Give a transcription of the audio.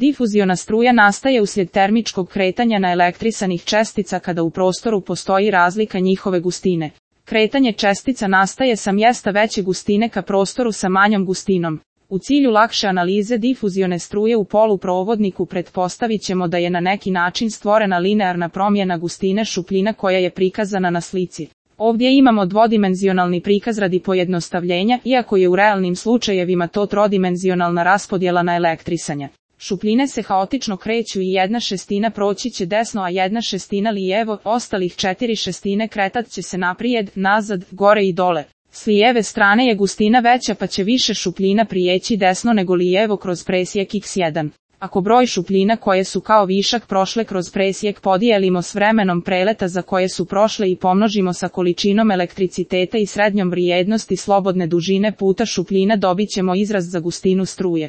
Difuziona struja nastaje uslijed termičkog kretanja naelektrisanih čestica kada u prostoru postoji razlika njihove gustine. Kretanje čestica nastaje sa mjesta veće gustine ka prostoru sa manjom gustinom. U cilju lakše analize difuzione struje u poluprovodniku pretpostavit ćemo da je na neki način stvorena linearna promjena gustine šupljina koja je prikazana na slici. Ovdje imamo dvodimenzionalni prikaz radi pojednostavljenja, iako je u realnim slučajevima to trodimenzionalna raspodjela naelektrisanja. Šupljine se haotično kreću i 1/6 proći će desno, a 1/6 lijevo, ostalih 4/6 kretat će se naprijed, nazad, gore i dole. S lijeve strane je gustina veća pa će više šupljina prijeći desno nego lijevo kroz presjek x1. Ako broj šupljina koje su kao višak prošle kroz presjek podijelimo s vremenom preleta za koje su prošle i pomnožimo sa količinom elektriciteta i srednjom vrijednosti slobodne dužine puta šupljina dobit ćemo izraz za gustinu struje.